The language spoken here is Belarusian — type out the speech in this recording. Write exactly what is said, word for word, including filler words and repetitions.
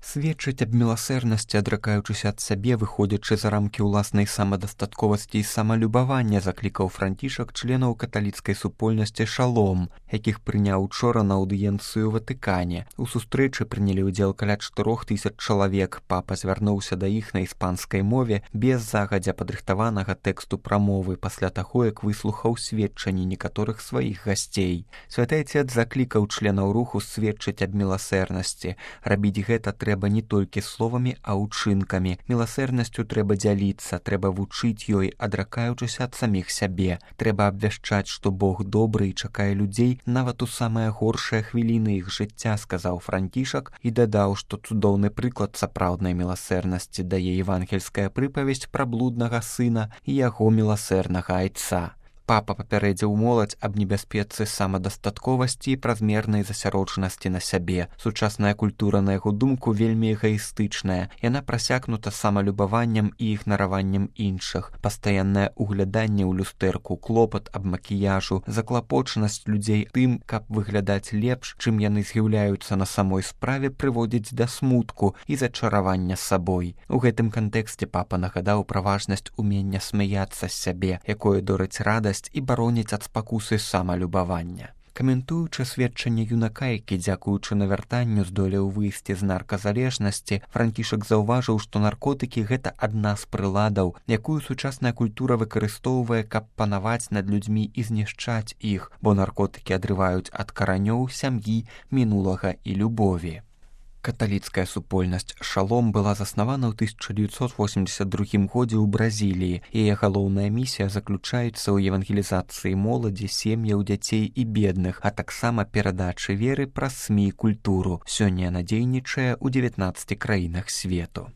Сведчыць аб міласэрнасці, адракаючыся ад сябе, выходзячы за рамкі ўласнай самадастатковасці і самалюбавання, заклікаў Францішак членаў каталіцкай супольнасці «Шалом», якіх прыняў учора на аўдыенцыю ў Ватыкане. У сустрэчы прынялі ўдзел каля чатырох тысяч чалавек. Папа звярнуўся да іх на іспанскай мове без загадзя падрыхтаванага тэксту прамовы пасля таго, як выслухаў сведчанні некаторых сваіх гасцей. Святы Айцец заклікаў членаў руху сведчыць аб міласэрнасці. Рабіць гэта трэба трэба не толькі словамі, а ўчынкамі. Міласэрнасцю трэба дзяліцца, трэба вучыць ёй, адракаючыся ад саміх сябе. Трэба абвяшчаць, што Бог добры і чакае людзей нават у самыя горшыя хвіліны іх жыцця, сказаў Францішак і дадаў, што цудоўны прыклад сапраўднай міласэрнасці дае евангельская прыпавесць пра блуднага сына і яго міласэрнага айца. Папа папярэдзіў моладзь аб небяспецы самадастатковасці і празмернай засяроджанасці на сябе. Сучасная культура, на яго думку, вельмі эгаістычная. Яна прасякнута самалюбаваннем і ігнараваннем іншых. Пастаяннае угляданне ў люстэрку, клопат аб макіяжу, заклапочанасць людзей тым, каб выглядаць лепш, чым яны з'яўляюцца на самой справе, прыводзіць да смутку і зачаравання сабой. У гэтым кантэксце папа нагадаў пра важнасць умення смяяцца з сябе, якое дорыць радасць і бароніць ад спакусы самалюбавання. Каментуючы сведчанне юнака, які, дзякуючы навяртанню, здолеў выйсці з нарказалежнасці, Францішак заўважыў, што наркотыкі – гэта адна з прыладаў, якую сучасная культура выкарыстоўвае, каб панаваць над людзьмі і знішчаць іх, бо наркотыкі адрываюць ад каранёў, сям'і, мінулага і любові. Каталіцкая супольнасць «Шалом» была заснавана ў тысяча дзевяцьсот восемьдесят другім годзе ў Бразіліі. Яе галоўная місія заключаецца ў евангелізацыі моладзі, сем'яў, дзяцей і бедных, а таксама перадачы веры праз СМІ і культуру. Сёння яна дзейнічае ў дзевятнаццаці краінах свету.